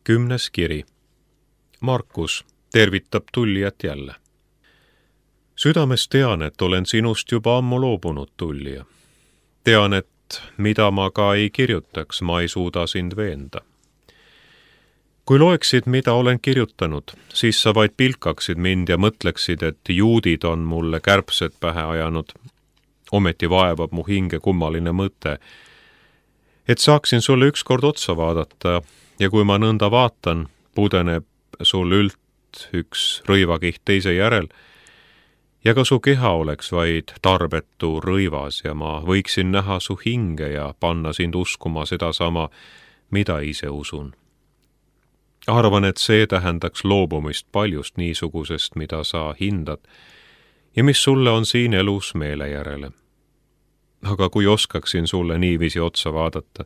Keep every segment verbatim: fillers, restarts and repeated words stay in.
Kümnes kiri. Markus tervitab tullijat jälle. Südames tean, et olen sinust juba ammu loobunud, tullija. Tean, et mida ma ka ei kirjutaks, ma ei suuda sind veenda. Kui loeksid, mida olen kirjutanud, siis sa vaid pilkaksid mind ja mõtleksid, et juudid on mulle kärbsed pähe ajanud. Ometi vaevab mu hinge kummaline mõte, et saaksin sulle ükskord otsa vaadata ja kui ma nõnda vaatan, pudeneb sul ült üks rõivakiht teise järel ja ka su keha oleks vaid tarbetu rõivas ja ma võiksin näha su hinge ja panna sind uskuma sedasama, mida ise usun. Arvan, et see tähendaks loobumist paljust niisugusest, mida sa hindad ja mis sulle on siin elus meele järele. Aga kui oskaksin sulle niiviisi otsa vaadata,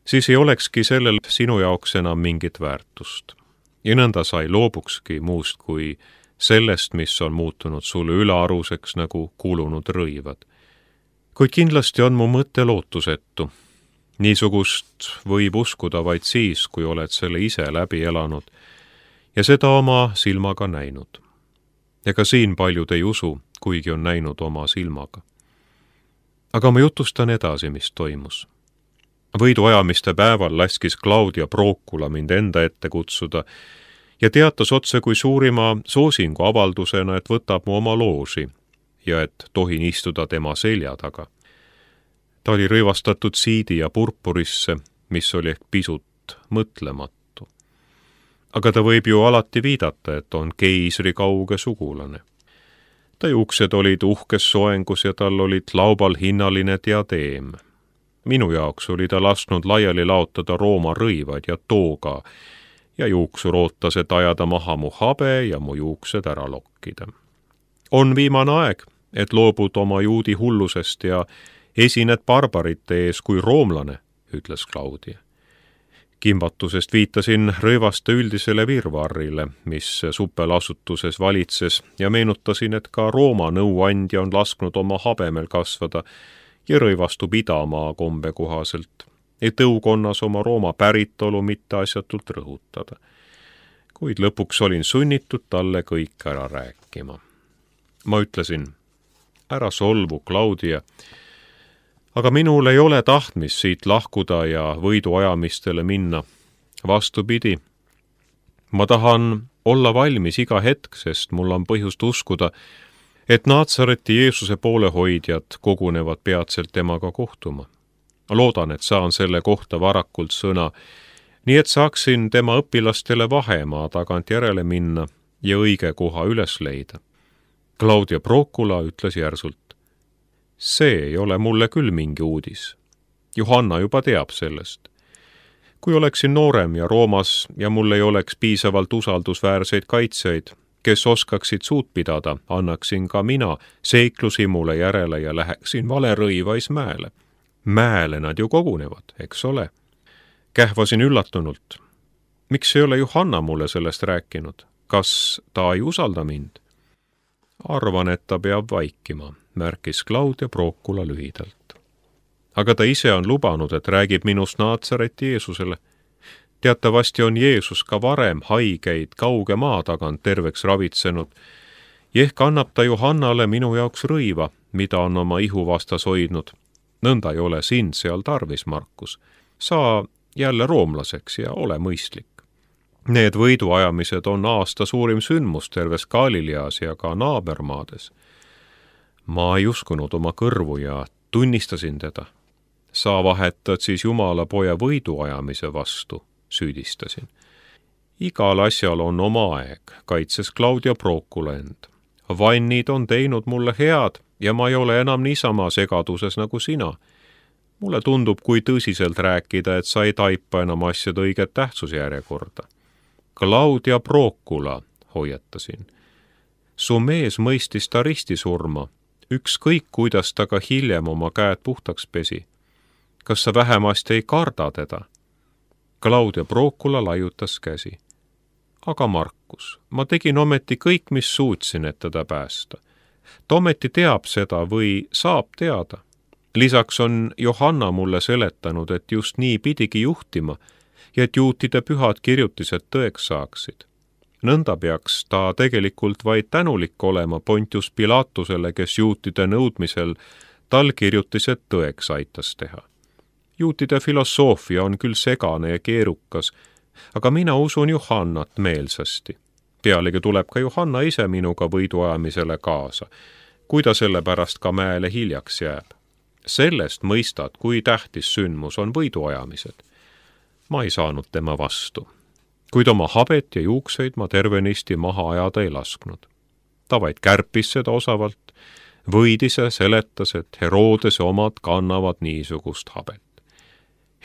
siis ei olekski sellel sinu jaoks enam mingit väärtust. Ja nõnda sa ei loobukski muust kui sellest, mis on muutunud sulle ülearuseks nagu kuulunud rõivad. Kuid kindlasti on mu mõte lootusetu. Niisugust võib uskuda vaid siis, kui oled selle ise läbi elanud ja seda oma silmaga näinud. Ega siin paljud ei usu, kuigi on näinud oma silmaga. Aga ma jutustan edasi, mis toimus. Võiduajamiste päeval laskis Claudia Procula mind enda ette kutsuda ja teatas otse kui suurima soosingu avaldusena, et võtab mu oma looži ja et tohin istuda tema selja taga. Ta oli rõivastatud siidi ja purpurisse, mis oli ehk pisut mõtlematu. Aga ta võib ju alati viidata, et on keisri kauge sugulane. Ta juuksed olid uhkes soengus ja tal olid laubal hinnaline diadeem. Minu jaoks oli ta lasknud laiali laotada Rooma rõivad ja tooga ja juuksur ootas, et ajada maha mu habe ja mu juuksed ära lokkida. On viimane aeg, et loobud oma juudi hullusest ja esined barbarite ees kui roomlane, ütles Claudia. Kimbatusest viitasin rõivaste üldisele virvarrile, mis supelasutuses valitses ja meenutasin, et ka Rooma nõuandja on lasknud oma habemel kasvada ja rõivastu pidamaa kombe kohaselt, et õukonnas oma Rooma päritolu mitteasjatult rõhutada. Kuid lõpuks olin sunnitud talle kõik ära rääkima. Ma ütlesin, ära solvu, Claudia, aga minul ei ole tahtmist siit lahkuda ja võiduajamistele minna. Vastupidi, ma tahan olla valmis iga hetk, sest mul on põhjust uskuda, et Naatsareti Jeesuse poolehoidjad kogunevad peatselt temaga kohtuma. Loodan, et saan selle kohta varakult sõna, nii et saaksin tema õpilastele vahemaa tagant järele minna ja õige koha üles leida. Claudia Procula ütles järsult, see ei ole mulle küll mingi uudis. Johanna juba teab sellest. Kui oleksin noorem ja Roomas ja mul ei oleks piisavalt usaldusväärseid kaitsjaid, kes oskaksid suud pidada, annaksin ka mina seiklusi mulle järele ja läheksin valerõivais mäele. Mäele nad ju kogunevad, eks ole. Kähvasin üllatunult. Miks ei ole Johanna mulle sellest rääkinud? Kas ta ei usalda mind? Arvan, et ta peab vaikima, märkis Claudia Procula lühidalt. Aga ta ise on lubanud, et räägib minust Naatsareti Jeesusele. Teatavasti on Jeesus ka varem haigeid kauge maa tagant terveks ravitsenud ja ehk annab ta Johannale minu jaoks rõiva, mida on oma ihu vastas hoidnud. Nõnda ei ole sind seal tarvis, Markus. Saa jälle roomlaseks ja ole mõistlik. Need võiduajamised on aasta suurim sündmus terves Galileas ja ka naabermaades. Ma ei uskunud oma kõrvu ja tunnistasin teda. Sa vahetad siis Jumala poja võiduajamise vastu, süüdistasin. Igal asjal on oma aeg, kaitses Claudia Procula end. Vannid on teinud mulle head ja ma ei ole enam niisama segaduses nagu sina. Mulle tundub, kui tõsiselt rääkida, et sa ei taipa enam asjade õiget tähtsusjärjekorda. Claudia Procula, hoiatasin. Su mees mõistis ta ristisurma, ükskõik kuidas ta ka hiljem oma käed puhtaks pesi. Kas sa vähemasti ei karda teda? Claudia Procula laiutas käsi. Aga Markus, ma tegin ometi kõik, mis suutsin, et teda päästa. Ta ometi teab seda või saab teada. Lisaks on Johanna mulle seletanud, et just nii pidigi juhtima ja et juutide pühad kirjutised tõeks saaksid. Nõnda peaks ta tegelikult vaid tänulik olema Pontius Pilatusele, kes juutide nõudmisel tal kirjutised tõeks aitas teha. Juutide filosoofia on küll segane ja keerukas, aga mina usun Johannat meelsasti. Pealegi tuleb ka Johanna ise minuga võiduajamisele kaasa, kui ta selle pärast ka mäele hiljaks jääb. Sellest mõistad, kui tähtis sündmus on võiduajamised. Ma ei saanud tema vastu, kuid oma habet ja juukseid ma tervenisti maha ajada ei lasknud. Ta vaid kärpis seda osavalt, võidis ja seletas, et Herodese omad kannavad niisugust habet.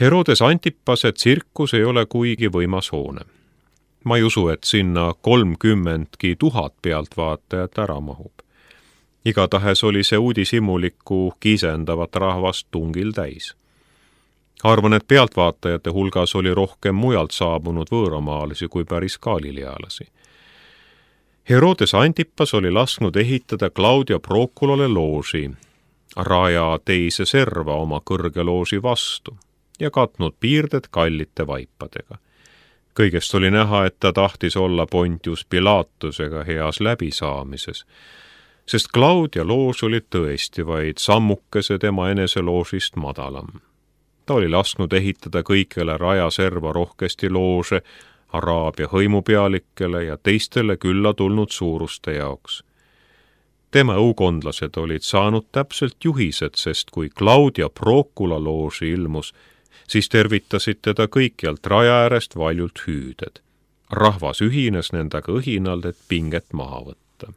Herodes Antipase tsirkus ei ole kuigi võimas hoone. Ma ei usu, et sinna kolmkümmendki tuhat pealtvaatajat ära mahub. Igatahes oli see uudishimulikku kiisendavat rahvast tungil täis. Arvan, et pealtvaatajate hulgas oli rohkem mujalt saabunud võõramaalisi kui päris galilealasi. Herodes Antipas oli lasknud ehitada Claudia Proculale looži, raja teise serva oma kõrge looži vastu ja katnud piirded kallite vaipadega. Kõigest oli näha, et ta tahtis olla Pontius Pilatusega heas läbisaamises, sest Claudia loos oli tõesti vaid sammukese tema enese loosist madalam. Ta oli lasknud ehitada kõikele raja serva rohkesti loože Araabia hõimupealikele ja teistele külla tulnud suuruste jaoks. Tema õukondlased olid saanud täpselt juhised, sest kui Claudia Procula looži ilmus, siis tervitasid teda kõikjalt raja äärest valjult hüüded. Rahvas ühines nendega õhinalt, et pinget maha võtta.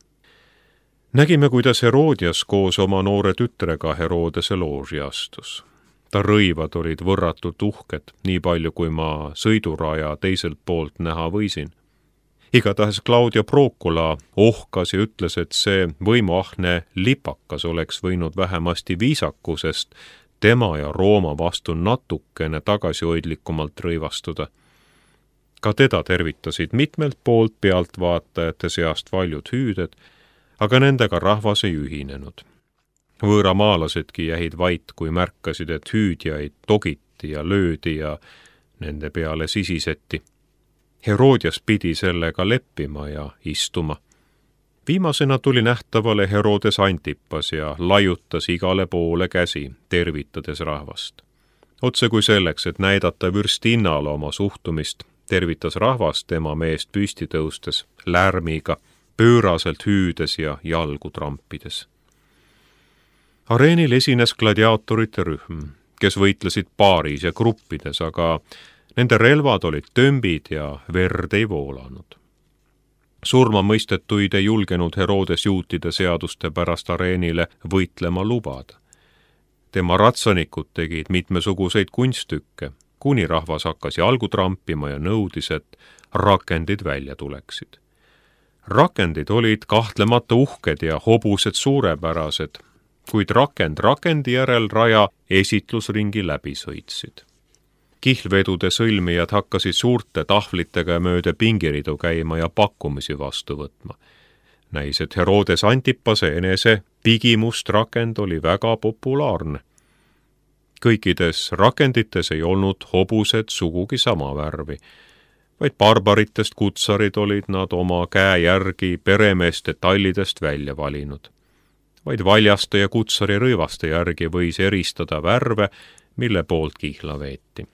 Nägime, kuidas Herodias koos oma noore tütrega Herodese looži astus. Ta rõivad olid võrratult uhked, nii palju kui ma sõiduraja teiselt poolt näha võisin. Igatahes Claudia Procula ohkas ja ütles, et see võimuahne lipakas oleks võinud vähemasti viisakusest tema ja Rooma vastu natukene tagasihoidlikumalt rõivastuda. Ka teda tervitasid mitmelt poolt pealtvaatajate seast valjud hüüded, aga nendega rahvas ei ühinenud. Võõramaalasedki jäid vait, kui märkasid, et hüüdjaid togiti ja löödi ja nende peale sisiseti. Herodias pidi sellega leppima ja istuma. Viimasena tuli nähtavale Herodes Antipas ja laiutas igale poole käsi, tervitades rahvast. Otse kui selleks, et näidata vürstinnale oma suhtumist, tervitas rahvast tema meest püsti tõustes, lärmiga, pööraselt hüüdes ja jalgu trampides. Areenil esines gladiaatorite rühm, kes võitlesid paaris ja gruppides, aga nende relvad olid tömbid ja verd ei voolanud. Surma mõistetuid ei julgenud Herodes juutide seaduste pärast areenile võitlema lubada. Tema ratsanikud tegid mitmesuguseid kunstükke, kuni rahvas hakkas jalgu trampima ja nõudis, et rakendid välja tuleksid. Rakendid olid kahtlemata uhked ja hobused suurepärased, kuid rakend rakendi järel raja esitlusringi läbi sõitsid. Kihlvedude sõlmijad hakkasid suurte tahvlitega mööda pingiridu käima ja pakkumisi vastu võtma. Näis, et Herodes Antipase enese pigimust rakend oli väga populaarne. Kõikides rakendites ei olnud hobused sugugi sama värvi, vaid barbaritest kutsarid olid nad oma käe järgi peremeeste tallidest välja valinud. Vaid valjaste ja kutsari rõivaste järgi võis eristada värve, mille poolt kihla veeti.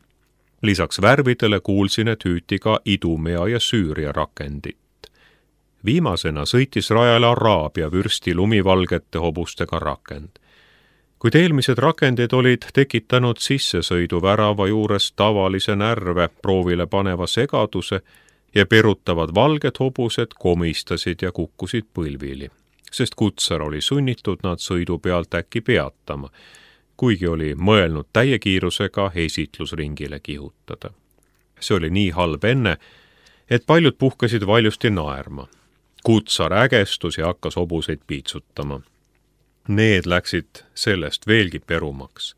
Lisaks värvidele kuulsin, et hüüti ka Idumea ja Süüria rakendit. Viimasena sõitis rajale Araabia vürsti lumivalgete hobustega rakend. Kuid eelmised rakendid olid tekitanud sissesõidu värava juures tavalise närve proovile paneva segaduse ja perutavad valged hobused komistasid ja kukkusid põlvili, sest kutsar oli sunnitud nad sõidu pealt äkki peatama, kuigi oli mõelnud täie kiirusega esitlusringile kihutada. See oli nii halb enne, et paljud puhkasid valjusti naerma. Kutsar ägestus ja hakkas hobuseid piitsutama. Need läksid sellest veelgi perumaks.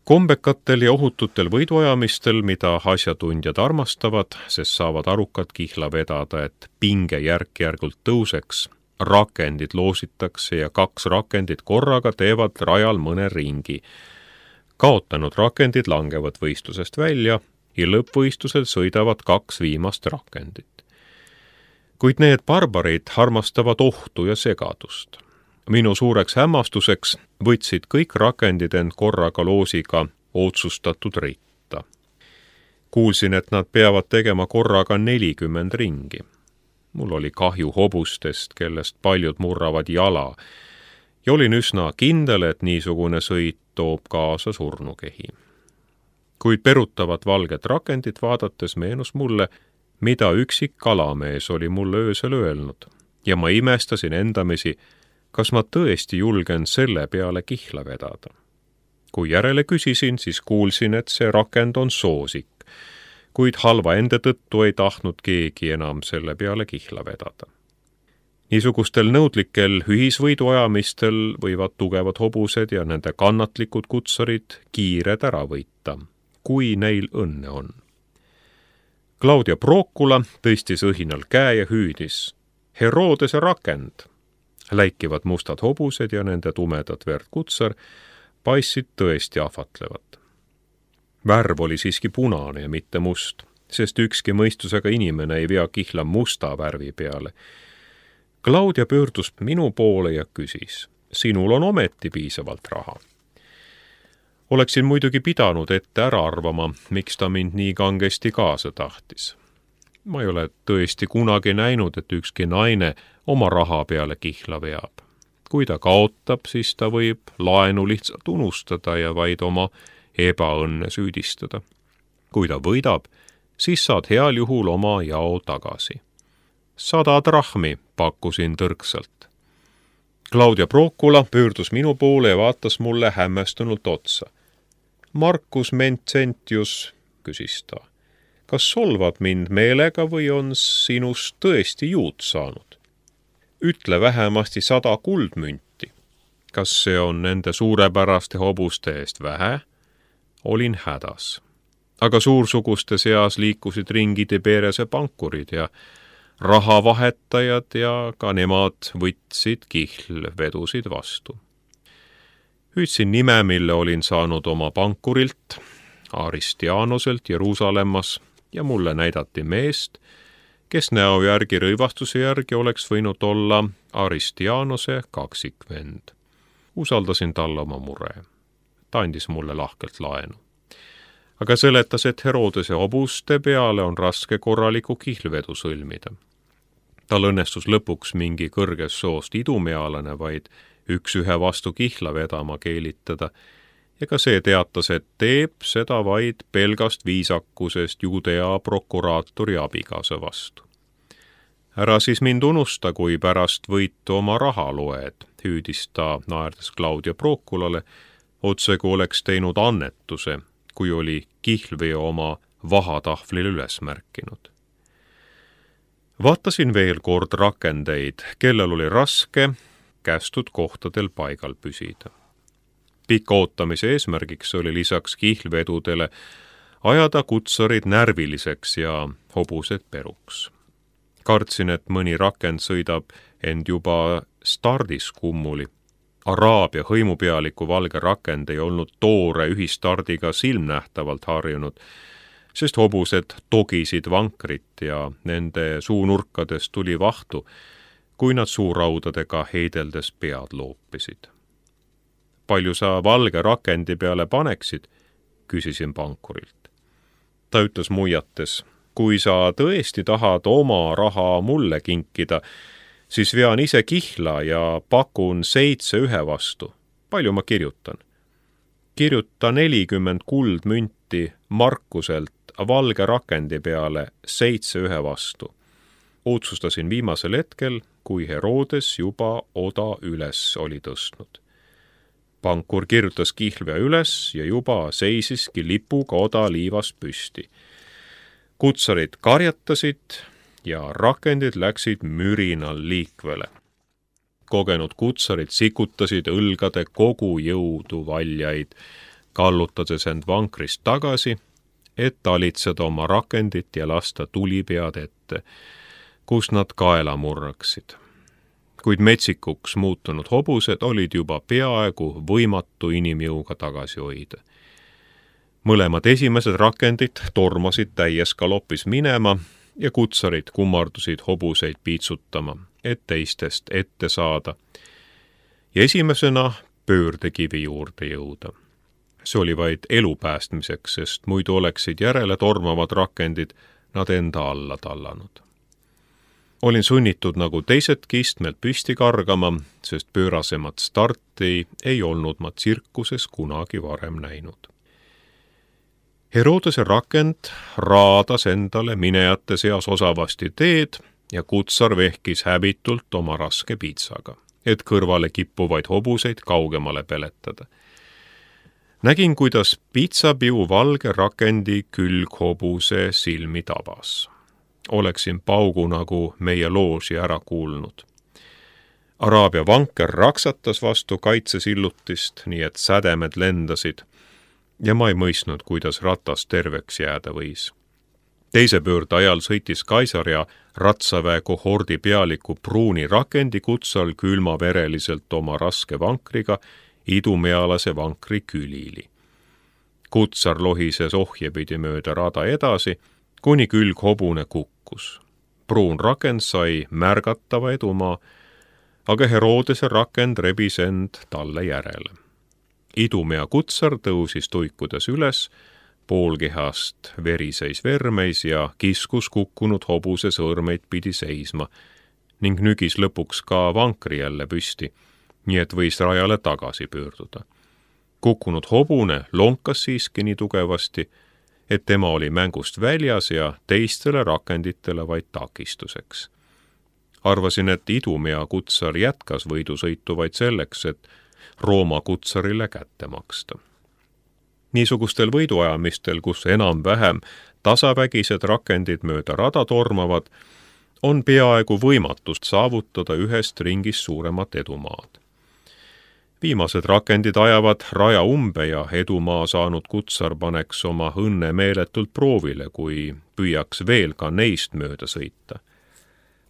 Kombekatel ja ohututel võiduajamistel, mida asjatundjad armastavad, sest saavad arukad kihla vedada, et pinge järk-järgult tõuseks, rakendid loositakse ja kaks rakendit korraga teevad rajal mõne ringi. Kaotanud rakendid langevad võistlusest välja ja lõppvõistlusel sõidavad kaks viimast rakendit. Kuid need barbarid armastavad ohtu ja segadust. Minu suureks hämmastuseks võtsid kõik rakendid end korraga loosiga otsustatud ritta. Kuulsin, et nad peavad tegema korraga nelikümmend ringi. Mul oli kahju hobustest, kellest paljud murravad jala, ja olin üsna kindel, et niisugune sõit toob kaasa surnukehi. Kuid perutavat valget rakendit vaadates meenus mulle, mida üksik kalamees oli mulle öösel öelnud, ja ma imestasin endamisi, kas ma tõesti julgen selle peale kihla vedada. Kui järele küsisin, siis kuulsin, et see rakend on soosik, kuid halva ende tõttu ei tahtnud keegi enam selle peale kihla vedada. Niisugustel nõudlikel ühisvõiduajamistel võivad tugevad hobused ja nende kannatlikud kutsarid kiired ära võita, kui neil õnne on. Claudia Procula tõstis õhinal käe ja hüüdis. Herodese rakend! Läikivad mustad hobused ja nende tumedad verd kutsar paistsid tõesti ahvatlevat. Värv oli siiski punane ja mitte must, sest ükski mõistusega inimene ei vea kihla musta värvi peale. Claudia pöördus minu poole ja küsis, sinul on ometi piisavalt raha. Oleksin muidugi pidanud ette ära arvama, miks ta mind nii kangesti kaasa tahtis. Ma ei ole tõesti kunagi näinud, et ükski naine oma raha peale kihla veab. Kui ta kaotab, siis ta võib laenu lihtsalt unustada ja vaid oma ebaõnne süüdistada. Kui ta võidab, siis saad heal juhul oma jao tagasi. Sada drahmi pakkusin tõrksalt. Claudia Procula pöördus minu poole ja vaatas mulle hämmästunult otsa. Marcus Mentcentius, küsis ta, kas solvad mind meelega või on sinust tõesti juut saanud? Ütle vähemasti sada kuldmünti. Kas see on nende suurepäraste hobuste eest vähe? Olin hädas. Aga suursuguste seas liikusid ringi Tiberese pankurid ja rahavahetajad ja ka nemad võtsid kihlvedusid vastu. Hüüdsin nime, mille olin saanud oma pankurilt, Aristianoselt Jeruusalemmas, ja mulle näidati meest, kes näo järgi rõivastuse järgi oleks võinud olla Aristianose kaksikvend. Usaldasin talle oma mure. Ta andis mulle lahkelt laenu. Aga seletas, et Herodese hobuste peale on raske korraliku kihlvedu sõlmida. Tal õnnestus lõpuks mingi kõrges soost idumealane vaid üks ühe vastu kihla vedama keelitada, ja ka see teatas, et teeb seda vaid pelgast viisakusest Judea prokuraatori abikaasa vastu. Ära siis mind unusta, kui pärast võitu oma raha loed, hüüdis ta naerdes Claudia Proculale, otse kui oleks teinud annetuse, kui oli kihlveo oma vahatahvlil üles märkinud. Vaatasin veel kord rakendeid, kellel oli raske kästud kohtadel paigal püsida. Pika ootamise eesmärgiks oli lisaks kihlvedudele ajada kutsarid närviliseks ja hobused peruks. Kartsin, et mõni rakend sõidab end juba stardis kummuli. Araabia hõimupealiku valge rakend ei olnud toore ühistardiga silmnähtavalt harjunud, sest hobused togisid vankrit ja nende suunurkadest tuli vahtu, kui nad suuraudadega heideldes pead loopisid. Palju sa valge rakendi peale paneksid, küsisin pankurilt. Ta ütles muiates, kui sa tõesti tahad oma raha mulle kinkida, siis vean ise kihla ja pakun seitse ühe vastu. Palju ma kirjutan? Kirjuta nelikümmend kuldmünti Markuselt valge rakendi peale seitse ühe vastu. Otsustasin viimasel hetkel, kui Herodes juba oda üles oli tõstnud. Pankur kirjutas kihlvea üles ja juba seisiski lipuga oda liivas püsti. Kutsarid karjatasid ja rakendid läksid mürinal liikvele. Kogenud kutsarid sikutasid õlgade kogu jõudu valjaid, kallutades end vankrist tagasi, et talitseda oma rakendit ja lasta tulipead ette, kus nad kaela murraksid. Kuid metsikuks muutunud hobused olid juba peaaegu võimatu inimjõuga tagasi hoida. mõlemad esimesed rakendid tormasid täies galopis minema ja kutsarid kummardusid hobuseid piitsutama, et teistest ette saada ja esimesena pöördekivi juurde jõuda. See oli vaid elu päästmiseks, sest muidu oleksid järele tormavad rakendid nad enda alla tallanud. Olin sunnitud nagu teisedki istmelt püsti kargama, sest pöörasemat starti ei olnud ma tsirkuses kunagi varem näinud. Herodese rakend raadas endale minejate seas osavasti teed ja kutsar vehkis häbitult oma raske piitsaga, et kõrvale kippuvaid hobuseid kaugemale peletada. Nägin, kuidas piitsapiu valge rakendi külghobuse silmi tabas. Oleksin paugu nagu meie loosi ära kuulnud. Araabia vanker raksatas vastu kaitsesillutist, nii et sädemed lendasid, ja ma ei mõistnud, kuidas ratas terveks jääda võis. Teise pöörde ajal sõitis Kaisar ja ratsaväe kohordi pealiku pruuni rakendi kutsal külmavereliselt oma raske vankriga idumealase vankri külili. Kutsar lohises ohjepidi mööda rada edasi, kuni külghobune kukkus. Pruun rakend sai märgatava edumaa, aga Herodese rakend rebis end talle järele. Idumea kutsar tõusis tuikudes üles, poolkehast veriseis vermeis ja kiskus kukkunud hobuse sõõrmeid pidi seisma ning nügis lõpuks ka vankri jälle püsti, nii et võis rajale tagasi pöörduda. Kukkunud hobune lonkas siiski nii tugevasti, et tema oli mängust väljas ja teistele rakenditele vaid takistuseks. Arvasin, et idumea kutsar jätkas võidusõitu vaid selleks, et Rooma kutsarile kätte maksta. Niisugustel võiduajamistel, kus enam-vähem tasavägised rakendid mööda rada tormavad, on peaaegu võimatust saavutada ühest ringist suuremat edumaad. Viimased rakendid ajavad raja umbe ja edumaa saanud kutsar paneks oma õnne meeletult proovile, kui püüaks veel ka neist mööda sõita.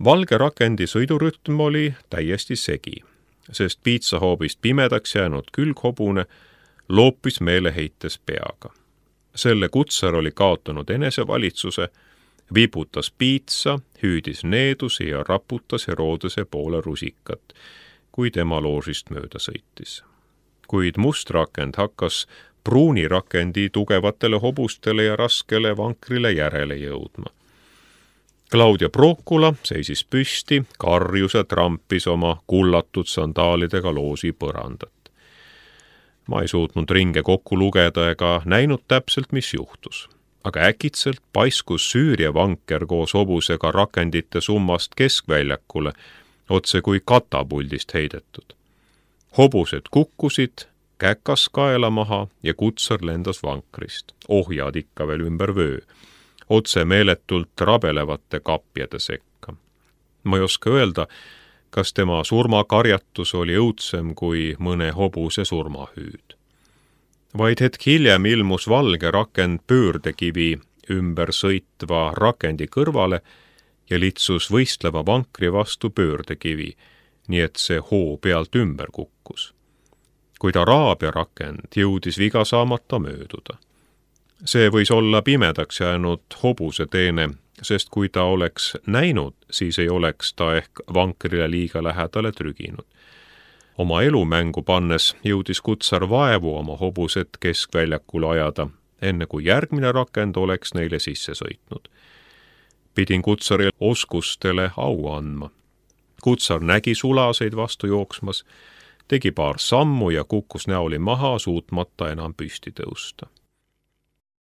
Valge rakendi sõidurütm oli täiesti segi, sest piitsahoobist pimedaks jäänud külghobune loopis meeleheites peaga. Selle kutsar oli kaotanud enesevalitsuse, viputas piitsa, hüüdis needusi ja raputas Herodese poole rusikat, kui tema loosist mööda sõitis. Kuid must rakend hakkas pruuni rakendi tugevatele hobustele ja raskele vankrile järele jõudma. Claudia Procula seisis püsti, karjus ja trampis oma kullatud sandaalidega loosi põrandat. Ma ei suutnud ringe kokku lugeda ega näinud täpselt, mis juhtus. Aga äkitselt paiskus Süüria vanker koos hobusega rakendite summast keskväljakule, otse kui katapuldist heidetud. Hobused kukkusid, käkas kaela maha ja kutsar lendas vankrist. Ohjad ikka veel ümber vöö, otse meeletult rabelevate kapjade sekka. Ma ei oska öelda, kas tema surmakarjatus oli õudsem kui mõne hobuse surmahüüd. Vaid hetk hiljem ilmus valge rakend pöördekivi ümber sõitva rakendi kõrvale ja litsus võistleva vankri vastu pöördekivi, nii et see hoo pealt ümber kukkus. Kuid Araabia rakend jõudis viga saamata mööduda. See võis olla pimedaks jäänud hobuse teene, sest kui ta oleks näinud, siis ei oleks ta ehk vankrile liiga lähedale trüginud. Oma elumängu pannes jõudis kutsar vaevu oma hobused keskväljakule ajada, enne kui järgmine rakend oleks neile sisse sõitnud. Pidin kutsari oskustele au andma. Kutsar nägi sulaseid vastu jooksmas, tegi paar sammu ja kukkus näoli maha, suutmata enam püsti tõusta.